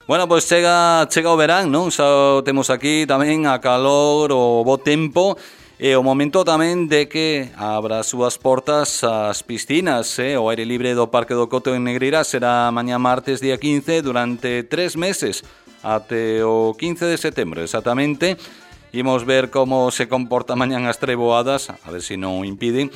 Bueno, pois chega o verán, non? Xa temos aquí tamén a calor, o bo tempo e o momento tamén de que abra as súas portas as piscinas, o aire libre do Parque do Coto en Negreira será mañá martes día 15 durante 3 meses até o 15 de setembro exactamente. Imos ver como se comporta mañán as treboadas, a ver se non o impiden.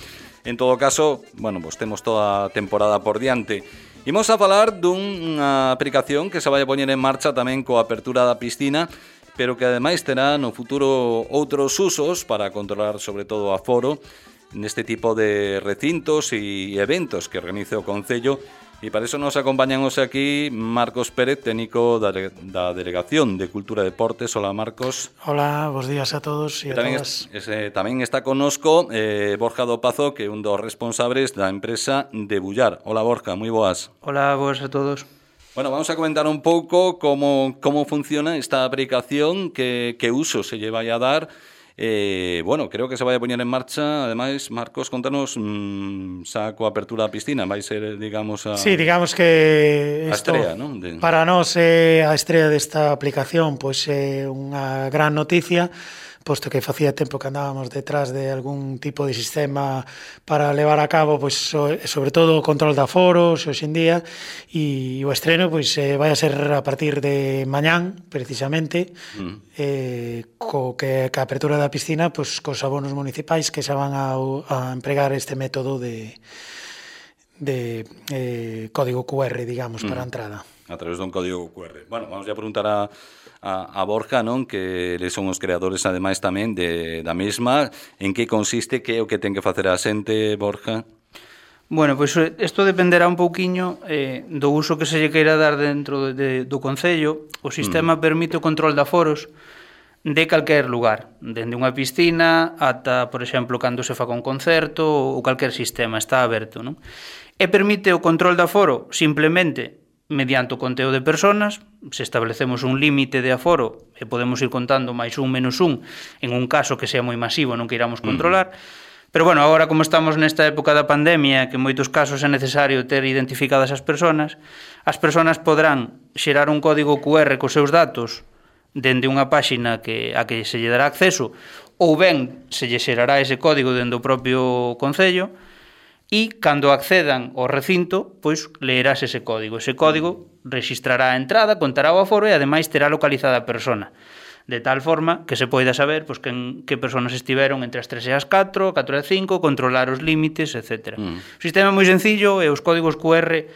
En todo caso, bueno, pois temos toda a temporada por diante. Imos a falar dunha aplicación que se vai a poñer en marcha tamén coa apertura da piscina, pero que ademais terá no futuro outros usos para controlar sobre todo o aforo neste tipo de recintos e eventos que organiza o Concello. E para iso nos acompañan hoxe aquí Marcos Pérez, técnico da Delegación de Cultura e Deportes. Hola, Marcos. Hola, bons días a todos e a todas. Tamén está connosco Borja do Pazo, que é un dos responsables da empresa de Bullar. Hola, Borja, moi boas. Hola, boas a todos. Bueno, vamos a comentar un pouco como funciona esta aplicación, que uso se lle vai a dar. Bueno, creo que se vai a poñer en marcha. Ademais, Marcos, contanos xa coa apertura da piscina. Vai ser, digamos, Sí, digamos que a estrela, non? Para nós é a estrela desta aplicación, pois é unha gran noticia, posto que facía tempo que andábamos detrás de algún tipo de sistema para levar a cabo, pois sobre todo o control de aforos hoxe en día, e o estreno pois vai a ser a partir de mañán, precisamente, que a apertura da piscina, pois cos abonos municipais que xa van a empregar este método de código QR, digamos, para a entrada. A través dun código QR. Bueno, vamos a preguntar a Borja, non? Que eles son os creadores, ademais, tamén da mesma. En que consiste, que é o que ten que facer a xente, Borja? Bueno, pois isto dependerá un pouquiño do uso que se lle queira dar dentro do Concello. O sistema permite o control de aforos de calquer lugar, dende unha piscina ata, por exemplo, cando se faga un concerto ou calquer sistema, está aberto, non? E permite o control de aforo simplemente mediante o conteo de personas. Se establecemos un límite de aforo e podemos ir contando máis un, menos un, en un caso que sea moi masivo, non que iramos controlar. Pero, bueno, agora como estamos nesta época da pandemia, que en moitos casos é necesario ter identificadas as persoas poderán xerar un código QR cos seus datos dende unha páxina a que se lle dará acceso, ou ben se lle xerará ese código dende o propio Concello, e cando accedan ao recinto, pois leerás ese código. Ese código rexistrará a entrada, contará o aforo e ademais terá localizada a persona, de tal forma que se poida saber pois que persoas estiveron entre as 3 e as 4, 4 e 5, controlar os límites, etc. O sistema é moi sencillo e os códigos QR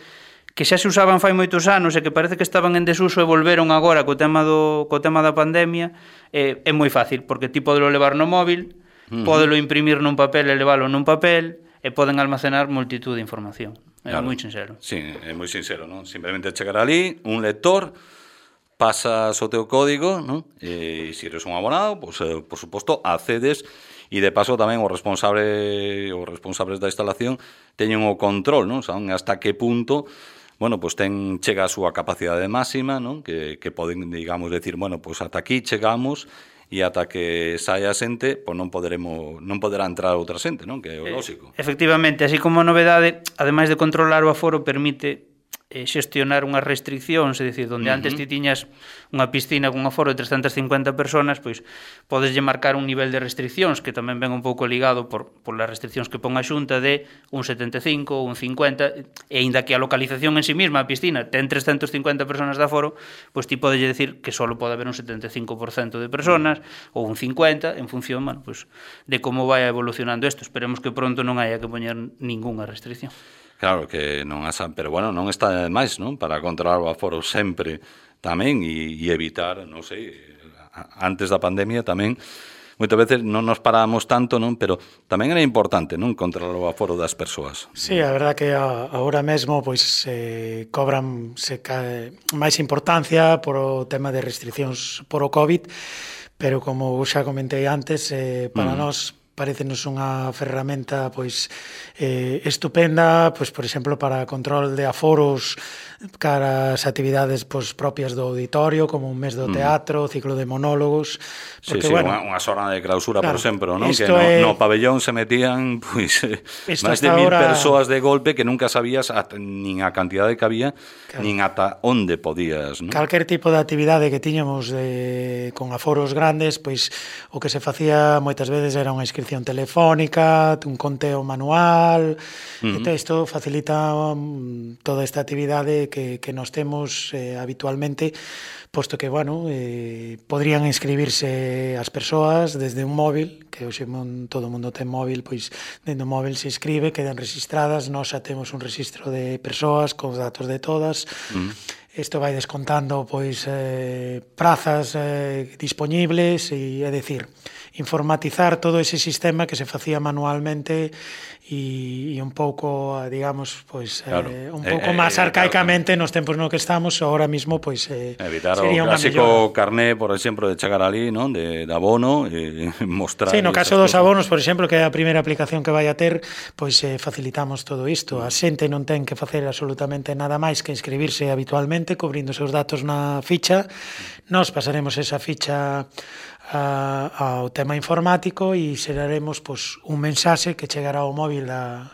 que xa se usaban fai moitos anos e que parece que estaban en desuso e volveron agora co tema da pandemia, é moi fácil, porque ti podelo levar no móvil, podelo imprimir nun papel e leválo nun papel, e poden almacenar multitud de información. É moi sincero. Sí, é moi sincero, non? Simplemente chegar ali, un lector, pasas o teu código, non? E se eres un abonado, pois, por suposto, accedes, e de paso tamén os responsables da instalación teñen o control, non? Saben hasta que punto, bueno, pois chega a súa capacidade máxima, non? Que poden, digamos, decir, bueno, pois ata aquí chegamos, e ata que saia a xente, pois non poderá entrar outra xente, non? Que é o lógico. Efectivamente, así como novedade, ademais de controlar o aforo, permite xestionar unhas restriccións, é dicir, onde antes ti tiñas unha piscina con un aforo de 350 personas, pois podeslle marcar un nivel de restriccións que tamén ven un pouco ligado por as restriccións que pon a Xunta de un 75, un 50, e aínda que a localización en sí mesma, a piscina, ten 350 personas de aforo, pois ti podeslle decir que só pode haber un 75% de personas ou un 50, en función, bueno, pois, de como vai evolucionando isto. Esperemos que pronto non haya que poñer ningunha restricción. Claro que non pero bueno, non está de máis, non? Para controlar o aforo sempre tamén e evitar, non sei, antes da pandemia tamén, moitas veces non nos parábamos tanto, non? Pero tamén era importante, non? Controlar o aforo das persoas. Sí, a verdad que agora mesmo pois cobran máis importancia por o tema de restriccións por o COVID, pero como xa comentei antes, para nós parecenos unha ferramenta pois estupenda, pois por exemplo para control de aforos cara as actividades pois propias do auditorio, como un mes do teatro, ciclo de monólogos, porque bueno, unha xornada de clausura, claro, por exemplo, non? Que no pabellón se metían pois máis de 1000 persoas de golpe que nunca sabías nin a cantidade que había, claro, nin ata onde podías, non? Calquer tipo de actividade que tiñamos con aforos grandes, pois o que se facía moitas veces era unha inscripción telefónica, un conteo manual, entón isto facilita toda esta actividade que nos temos habitualmente, posto que, bueno, podrían inscribirse as persoas desde un móvil, que hoxe todo o mundo ten móvil, pois dentro do móvil se inscribe, quedan registradas, nós xa temos un registro de persoas cos datos de todas, isto vai descontando pois prazas dispoñibles, e é dicir, informatizar todo ese sistema que se facía manualmente e un pouco, digamos, pois claro, un pouco máis arcaicamente nos tempos no que estamos, ahora mismo pois evitar sería o clásico carné, por exemplo, de chegar ali, non, de abono, mostrar. Sí, no caso dos abonos, por exemplo, que é a primeira aplicación que vai a ter, pois facilitamos todo isto. A xente non ten que facer absolutamente nada máis que inscribirse habitualmente, cubrindo os seus datos na ficha. Nós pasaremos esa ficha ao tema informático e xeraremos pois un mensaxe que chegará ao móvil da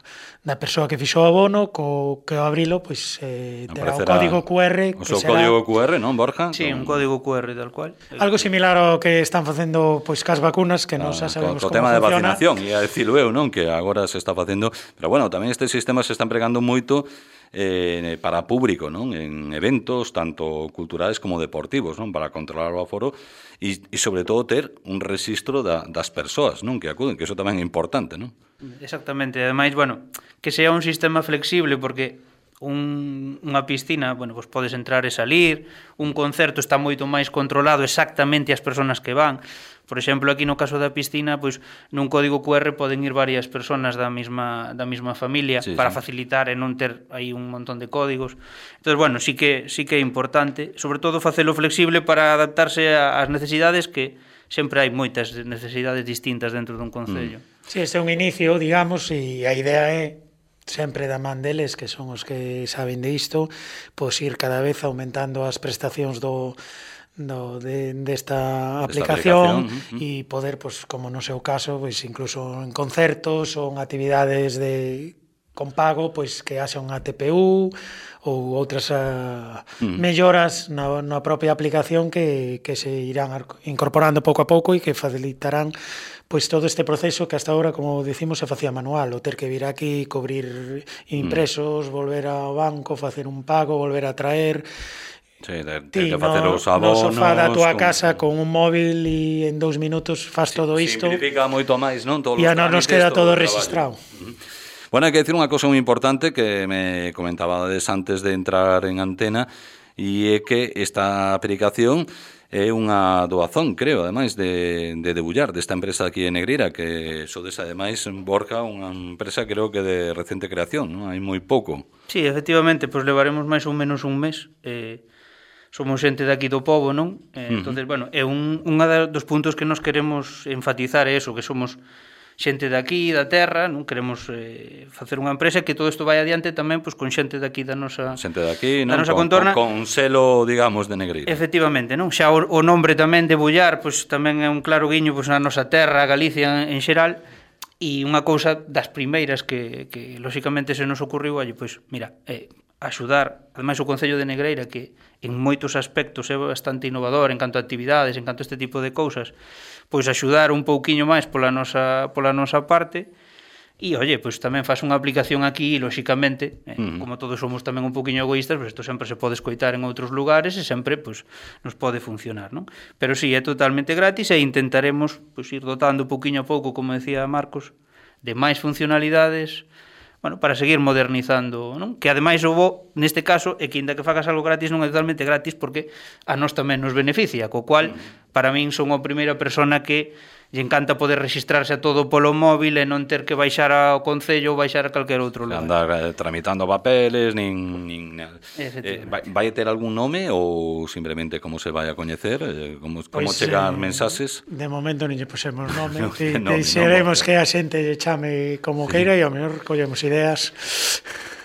persoa que fixo o abono, que ao abrilo pois terá o código QR, o seu código QR, non, Borja? Sí, un código QR tal cual. Algo similar ao que están facendo pois cas vacunas, que non xa sabemos como tema funciona. De vacinación, e a decirlo eu, non, que agora se está facendo, pero bueno, tamén este sistema se está empregando moito para público, non? En eventos tanto culturales como deportivos, non? Para controlar o aforo e sobre todo ter un rexistro das persoas, non? Que acuden, que iso tamén é importante, non? Exactamente, ademais, bueno, que sea un sistema flexible, porque unha piscina, bueno, pois podes entrar e salir, un concerto está moito máis controlado exactamente as persoas que van. Por exemplo, aquí no caso da piscina, pois nun código QR poden ir varias persoas da mesma familia, sí, para facilitar e non ter aí un montón de códigos. Entón, bueno, sí que é importante, sobre todo facelo flexible para adaptarse ás necesidades, que sempre hai moitas necesidades distintas dentro dun concello. Sí, este é un inicio, digamos, e a idea é sempre da man deles, que son os que saben de isto, pois ir cada vez aumentando as prestacións desta aplicación e poder, pois, como no seu caso, pois incluso en concertos ou en actividades con pago, pois que haxa unha TPU ou outras melloras na propia aplicación que se irán incorporando pouco a pouco e que facilitarán pois todo este proceso que hasta ahora, como decimos, se facía manual, o ter que vir aquí, cubrir impresos, volver ao banco, facer un pago, volver a traer. Sí, de facer os abonos. No sofá da túa casa con un móvil e en 2 minutos faz todo isto. Simplifica moito máis, non? E a nos queda todo registrado. Bueno, hai que decir unha cousa moi importante que me comentabades antes de entrar en antena, e é que esta aplicación é unha doazón, creo, ademais de Debullar, desta empresa aquí en Negreira, que sodes, ademais, Borja, unha empresa creo que de recente creación, non? Hai moi pouco. Sí, efectivamente, pois levaremos máis ou menos un mes. Somos xente daqui do pobo, non? Entonces, bueno, é unha dos puntos que nos queremos enfatizar é eso, que somos xente daqui, da terra, non queremos facer unha empresa que todo isto vai adiante tamén pois con xente daqui da nosa xente daqui, non? Nosa contorna, con selo, digamos, de Negreira. Efectivamente, non? Xa o nombre tamén de Bullar, pois tamén é un claro guiño pois na nosa terra, Galicia en xeral, e unha cousa das primeiras que lóxicamente se nos ocurriu, pois mira, axudar, ademais o Concello de Negreira, que en moitos aspectos é bastante innovador en canto a actividades, en canto a este tipo de cousas, pois axudar un pouquiño máis pola nosa parte. E, pois tamén faz unha aplicación aquí e, lóxicamente, como todos somos tamén un pouquiño egoístas, pois isto sempre se pode escoitar en outros lugares e sempre pois nos pode funcionar, non? Pero sí, é totalmente gratis e intentaremos pois ir dotando pouquiño a pouco, como decía Marcos, de máis funcionalidades, bueno, para seguir modernizando, non? Que ademais o bo, neste caso, é que inda que fagas algo gratis non é totalmente gratis porque a nós tamén nos beneficia, co cual para min son a primeira persona que lle encanta poder registrarse a todo polo móvil e non ter que baixar ao concello ou baixar a calquer outro lugar. Andar tramitando papeles, vai ter algún nome ou simplemente como se vai a coñecer, como chegar mensaxes? De momento non lle pusemos nome, xeremos que a xente lle chame como queira e ao mellor collemos ideas.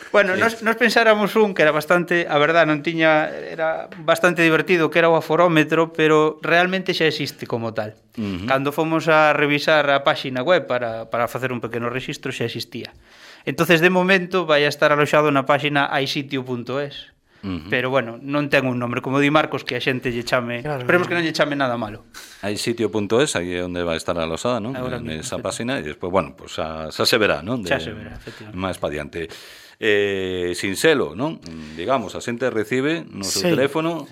Bueno, nos pensáramos que era bastante, a verdad, era bastante divertido, que era o aforómetro, pero realmente xa existe como tal. Cando fomos a revisar a páxina web para facer un pequeno registro, xa existía. Entonces, de momento, vai a estar aloxado na páxina aisitio.es. Pero, bueno, non ten un nombre, como di Marcos, que a xente lle chame... Claro, esperemos que non lle chame nada malo. Aisitio.es, aí é onde vai estar alosada, non? Nesa páxina, e despois, bueno, pues xa se verá, non? Xa se verá, efectivamente. Máis pa diante. Sin selo, non? Digamos, a xente recibe no seu teléfono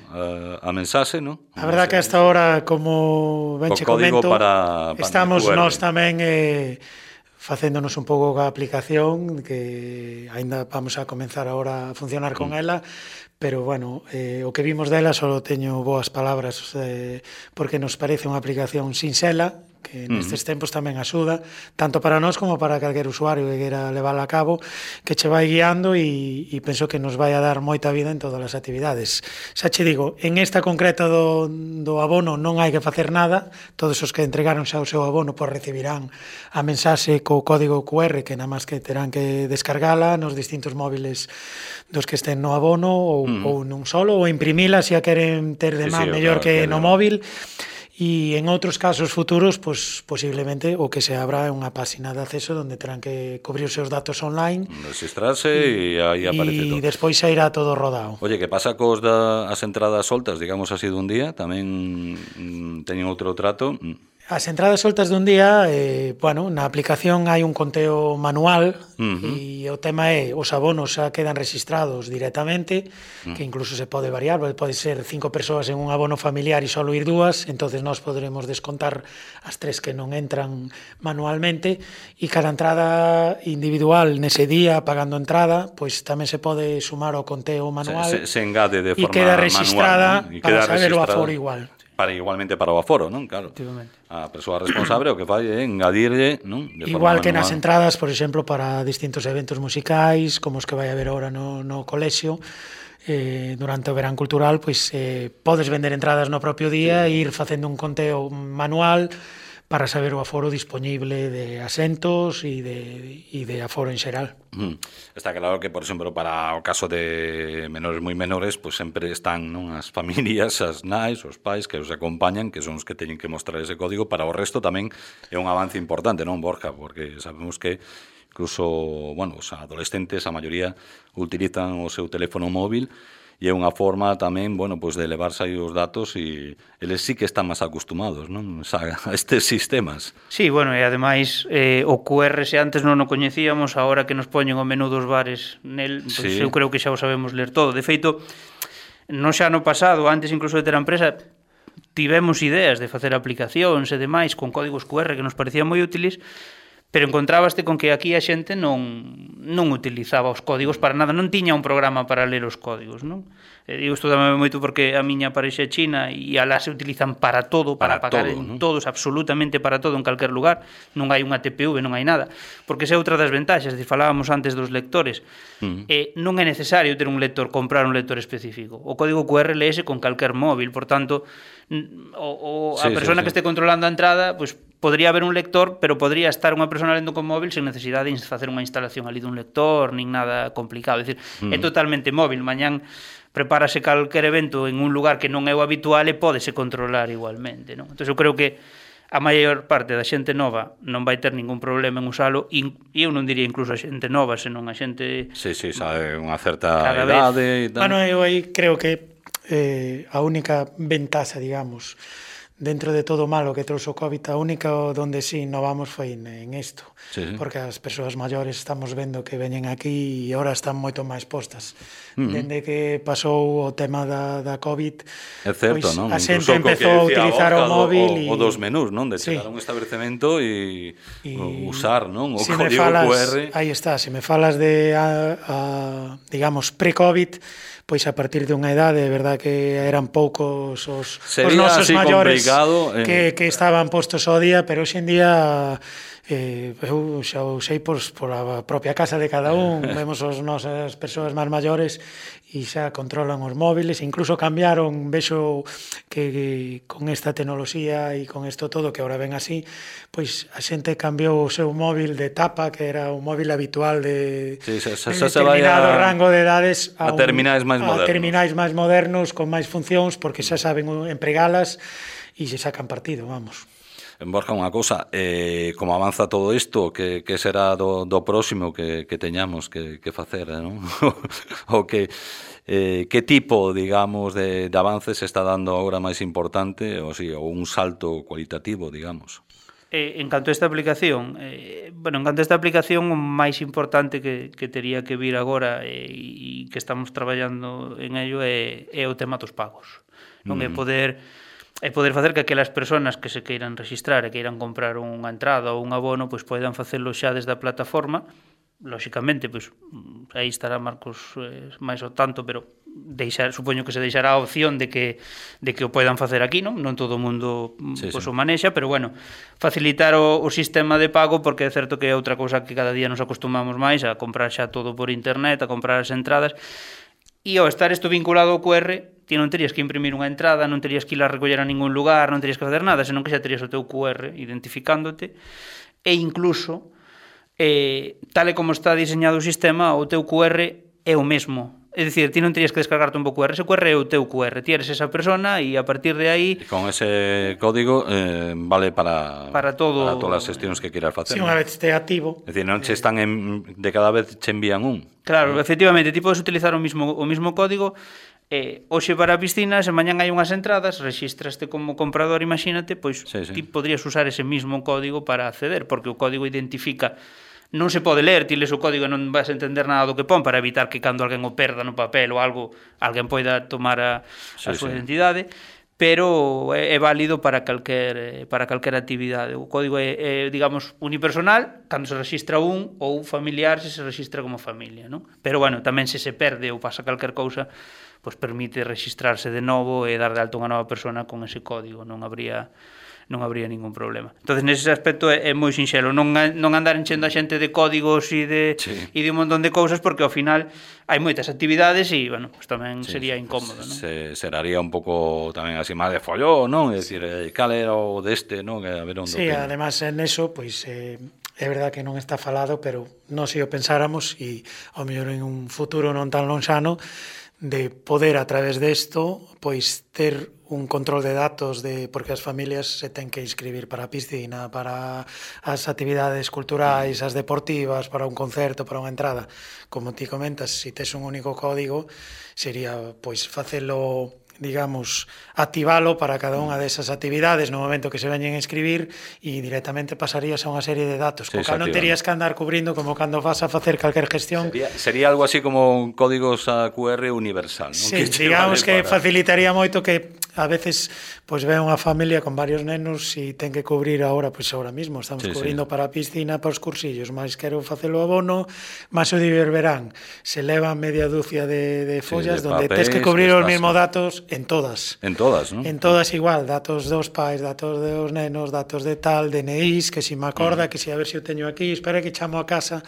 a mensaxe, non? A verdad que hasta ahora, como ben che comento, estamos nós tamén facéndonos un pouco a aplicación, que aínda vamos a comenzar agora a funcionar con ela, pero, bueno, o que vimos dela só teño boas palabras, porque nos parece unha aplicación sinxela, que nestes tempos tamén axuda, tanto para nós como para calquer usuario que queira levála a cabo, que che vai guiando e penso que nos vai a dar moita vida en todas as actividades. Xa che digo, en esta concreta do abono non hai que facer nada, todos os que entregaron xa o seu abono pois recibirán a mensaxe co código QR que nada máis que terán que descargala nos distintos móviles dos que estén no abono ou nun solo, ou imprimila se a queren ter de man mellor que no móvil. E en outros casos futuros, pues, posiblemente o que se abra é unha páxina de acceso onde terán que cubrir os seus datos online, registrarse e aí aparece todo. E despois xa irá todo rodado. Oye, que pasa cos as entradas soltas, digamos así, dun día? Tamén teñen outro trato? As entradas soltas dun día, bueno, na aplicación hai un conteo manual e o tema é, os abonos xa quedan registrados directamente, que incluso se pode variar, pode ser 5 persoas en un abono familiar e só ir 2, entonces nós poderemos descontar as 3 que non entran manualmente, e cada entrada individual nese día, pagando entrada, pois tamén se pode sumar ao conteo manual se engade de forma manual, e queda registrada, ¿no? Para saber o aforo igual. Igualmente para o aforo, non? Claro. A persoa responsable o que fai é engadirlle, non? Igual que nas entradas, por exemplo, para distintos eventos musicais, como os que vai haber agora no colexio, durante o verán cultural, pois podes vender entradas no propio día e ir facendo un conteo manual para saber o aforo disponible de asentos e de aforo en xeral. Está claro que, por exemplo, para o caso de menores moi menores, pues sempre están, non, as familias, as nais, os pais que os acompañan, que son os que teñen que mostrar ese código. Para o resto tamén é un avance importante, non, Borja? Porque sabemos que incluso, bueno, os adolescentes, a maioría, utilizan o seu teléfono móvil e é unha forma tamén, bueno, pues de elevarse aí os datos e eles sí que están máis acostumados, non, a estes sistemas. Sí, bueno, e ademais o QR se antes non o coñecíamos, agora que nos poñen o menú dos bares nel, pues eu creo que xa o sabemos ler todo. De feito, non xa no pasado, antes incluso de ter a empresa, tivemos ideas de facer aplicacións e demais con códigos QR que nos parecían moi útiles, pero encontrábaste con que aquí a xente non utilizaba os códigos para nada, non tiña un programa para ler os códigos, non? Digo, isto dame moito porque a miña parexa é china e alá se utilizan para todo, para pagar todo, en todos, absolutamente para todo, en calquer lugar, non hai unha TPV, non hai nada, porque esa é outra das ventaxas, falábamos antes dos lectores, non é necesario ter un lector, comprar un lector específico, o código QR leese con calquer móvil, por tanto, a persona que este controlando a entrada, pues podría haber un lector, pero podría estar unha persona lendo con móvil sen necesidade de facer unha instalación ali dun lector, nin nada complicado. É dicir, é totalmente móvil. Mañán prepárase calquer evento en un lugar que non é o habitual e pódese controlar igualmente, non? Entón, eu creo que a maior parte da xente nova non vai ter ningún problema en usalo, e eu non diría incluso a xente nova, senón a xente... Sí, sabe, unha certa idade e tal. Bueno, eu aí creo que a única ventaxa, digamos, dentro de todo o malo que trouxe o COVID, a única donde sí innovamos foi en isto, porque as persoas maiores estamos vendo que veñen aquí e ahora están moito máis postas. Dende que pasou o tema da COVID, é certo, non? A xente empezou a utilizar o móvil o dos menús, non? De chegar a un establecemento e usar, non? O código QR. Aí está, se me falas de, digamos, pre-COVID, pois a partir dunha idade, é verdad que eran poucos os nosos así maiores que estaban postos ao día, pero hoxe en día eu xa o sei por a propia casa de cada un, vemos as nosas persoas máis maiores e xa controlan os móviles, incluso cambiaron, vexo que con esta tecnoloxía e con isto todo que agora ven así, pois a xente cambiou o seu móvil de tapa, que era o móvil habitual de determinado rango de edades a terminais máis modernos con máis funcións, porque xa saben empregalas e se sacan partido, vamos. Borja, unha cousa, como avanza todo isto, que será do próximo que teñamos que facer, non? O que tipo, digamos, de avances se está dando agora máis importante, ou un salto cualitativo, digamos? En canto a esta aplicación, o máis importante que tería que vir agora e que estamos traballando en ello é o tema dos pagos. Non é poder facer que aquelas persoas que se queiran registrar e queiran comprar unha entrada ou un abono, pois poidan facelo xa desde a plataforma. Lóxicamente, pois aí estará Marcos máis ao tanto, pero supoño que se deixará a opción de que o poidan facer aquí, non todo o mundo o manexa, pero bueno, facilitar o sistema de pago, porque é certo que é outra cousa que cada día nos acostumamos máis a comprar xa todo por internet, a comprar as entradas. E ao estar isto vinculado ao QR, ti non terías que imprimir unha entrada, non terías que ir a recoller a ningún lugar, non terías que facer nada, senón que xa terías o teu QR identificándote, e incluso, tal e como está diseñado o sistema, o teu QR é o mesmo. É dicir, ti non terías que descargarte un bo QR, ese QR é o teu QR, ti eres esa persona e a partir de aí... E con ese código vale para todas as xestións que queiras facer. Si unha vez este activo... É dicir, non che están de cada vez che envían un. Claro, efectivamente, ti podes utilizar o mismo código. Hoxe para a piscina, se mañán hai unhas entradas, rexistraste como comprador, imagínate, pois ti podrías usar ese mismo código para acceder, porque o código identifica... Non se pode ler, ti les o código e non vas a entender nada do que pon, para evitar que cando alguén o perda no papel ou algo, alguén poida tomar a súa identidade, pero é válido para calquer actividade. O código é, digamos, unipersonal cando se registra un, ou familiar se registra como familia, non? Pero, bueno, tamén se perde ou pasa calquer cousa, pois permite registrarse de novo e dar de alto unha nova persona con ese código, non habría ningún problema. Entonces, nese aspecto é moi sinxelo, non andar enchendo a xente de códigos e de un montón de cousas, porque ao final hai moitas actividades e, bueno, pues tamén sería incómodo, non? Seraría un pouco tamén así máis de follón, non? É dicir, cal era o deste, non? A ver onde además en eso, pois é verdad que non está falado, pero non se o pensáramos e ao mellor en un futuro non tan lonxano de poder a través desto pois ter un control de datos porque as familias se ten que inscribir para a piscina, para as actividades culturais, as deportivas, para un concerto, para unha entrada. Como ti comentas, se tes un único código, sería pois facelo, digamos, activalo para cada unha desas actividades no momento que se veñen a inscribir e directamente pasarías a unha serie de datos. Co cal non terías que andar cubrindo como cando vas a facer calquer gestión. Sería algo así como códigos a QR universal, non? Sí, digamos que facilitaría moito que a veces pois ve unha familia con varios nenos e ten que cubrir agora mismo estamos cubrindo para a piscina, para os cursillos, máis quero facelo abono, máis o diverberán, se leva media dúcia de follas donde tes que cubrir os mesmos datos en todas, non? En todas igual, datos dos pais, datos dos nenos, datos de tal, DNIs, que si me acorda, que si a ver se o teño aquí, espera que chamo a casa,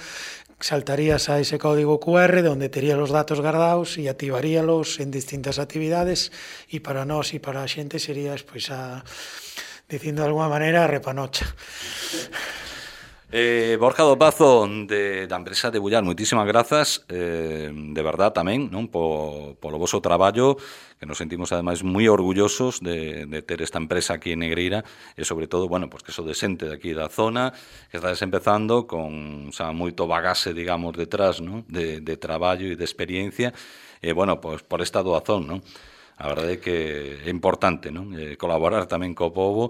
saltarías a ese código QR donde tería los datos guardados e activaríalos en distintas actividades e para nós e para a xente serías, pois, dicindo de alguma maneira, a repanocha. Borja do Pazo da empresa de Bullar, moitísimas grazas de verdad tamén, non, polo voso traballo, que nos sentimos ademais moi orgullosos de ter esta empresa aquí en Negreira e sobre todo, bueno, pues que so de xente de aquí da zona que está desempezando con moito bagaxe, digamos, detrás, non, de traballo e de experiencia e, bueno, pues por esta doazón, non? A verdade é que é importante, non? Colaborar tamén co povo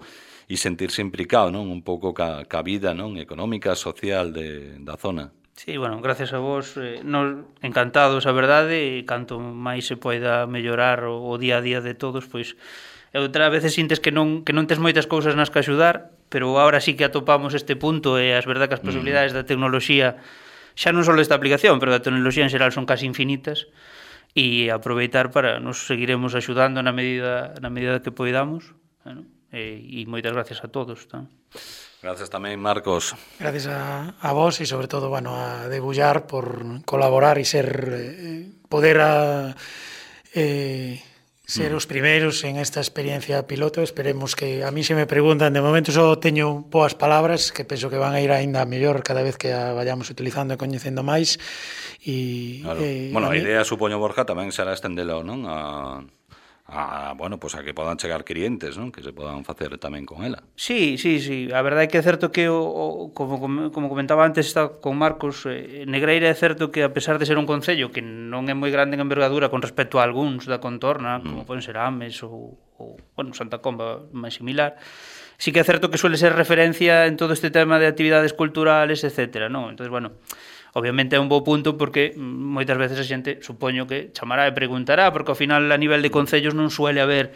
e sentirse implicado, non? Un pouco ca vida, non? Económica, social da zona. Sí, bueno, gracias a vos, nos encantados, a verdade, e canto máis se poida mellorar o día a día de todos, pois outra veces sintes que non tes moitas cousas nas que axudar, pero agora sí que atopamos este punto e as verdade que as posibilidades da tecnoloxía, xa non só esta aplicación, pero da tecnoloxía en xeral son casi infinitas, e aproveitar para nos seguiremos axudando na medida que poidamos, e moitas gracias a todos. Gracias tamén, Marcos. Gracias a vos e sobre todo, bueno, a Debullar por colaborar e ser poder ser os primeiros en esta experiencia piloto. Esperemos que, a mí se me preguntan, de momento só teño boas palabras que penso que van a ir aínda mellor cada vez que a vayamos utilizando e coñecendo máis. Claro. Bueno, a idea, supoño, Borja, tamén será estendelo, non? Bueno, pues a que podan chegar clientes, non? Que se podan facer tamén con ela. Sí. A verdade é que é certo que, como comentaba antes con Marcos, Negreira é certo que, a pesar de ser un concello que non é moi grande en envergadura con respecto a algúns da contorna, como poden ser Ames ou bueno, Santa Comba, máis similar, sí que é certo que suele ser referencia en todo este tema de actividades culturales, etcétera, non? Entón, bueno, obviamente é un bo punto porque moitas veces a xente, supoño que chamará e preguntará, porque ao final a nivel de concellos non suele haber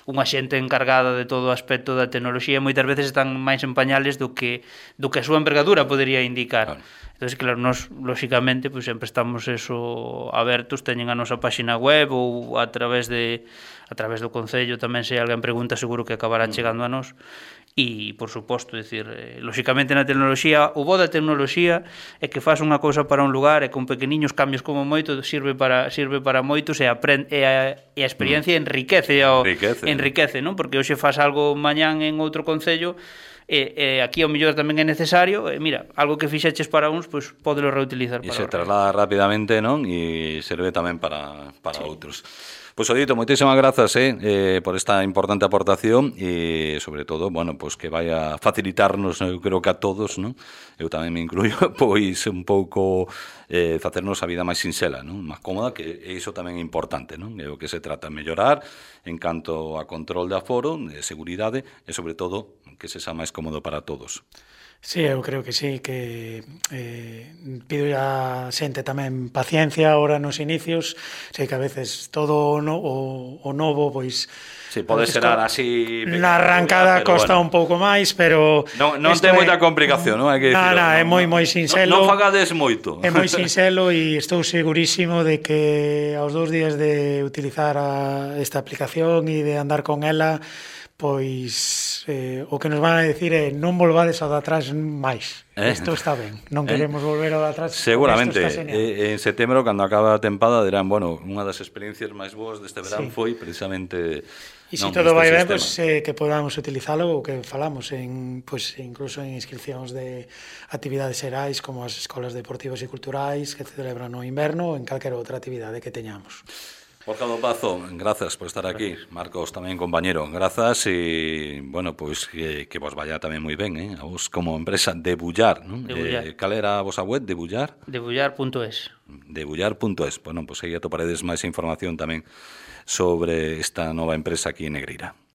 unha xente encargada de todo o aspecto da tecnoloxía, moitas veces están máis en pañales do que a súa envergadura podería indicar. Claro. Entón, claro, nós, lóxicamente, pues, sempre estamos abertos, teñen a nosa páxina web ou a través do Concello tamén, se alguén pregunta, seguro que acabará chegando a nós. E, por suposto, decir, lóxicamente na tecnoloxía, o bo da tecnoloxía é que faz unha cousa para un lugar e con pequeniños cambios como moito sirve para moitos e a experiencia enriquece, non? Porque hoxe faz algo mañán en outro concello e aquí ao mellor tamén é necesario, mira, algo que fixeches para uns, pois pódelo reutilizar para outros. E se traslada rapidamente, non? E serve tamén para outros. Pois, Odito, moitísimas grazas por esta importante aportación e, sobre todo, bueno, pois que vai a facilitarnos, eu creo que a todos, non? Eu tamén me incluyo, pois un pouco facernos a vida máis sinxela, non? Máis cómoda, que iso tamén é importante, non? É o que se trata de mellorar en canto a control de aforo, de seguridade e, sobre todo, que se xa máis cómodo para todos. Sí, eu creo que sí, que pido a xente tamén paciencia ahora nos inicios, sei que a veces todo o novo, pois... Sí, pode ser así... Na arrancada costa un pouco máis, pero... Non ten moita complicación, non? Hai que dicirlo. É moi sinxelo. Non fagades moito. É moi sinxelo e estou segurísimo de que aos 2 días de utilizar esta aplicación e de andar con ela, pois o que nos van a decir é non volvades ao de atrás máis. Isto está ben, non queremos volver ao de atrás. Seguramente, en setembro, cando acaba a tempada, dirán, bueno, unha das experiencias máis boas deste verán foi precisamente... E se todo vai ben, pues, que podamos utilizalo, o que falamos, pues, incluso en inscripcións de actividades xerais, como as escolas deportivas e culturais que se celebran no inverno, ou en calquera outra actividade que teñamos. Borja do Pazo, grazas por estar aquí. Marcos tamén, compañero, grazas e, bueno, pois que vos vaya tamén moi ben, a vos como empresa Debullar, non? Cal era a vosa web, Debullar? Debullar.es. Debullar.es. Bueno, pois aí atoparedes máis información tamén sobre esta nova empresa aquí en Negreira.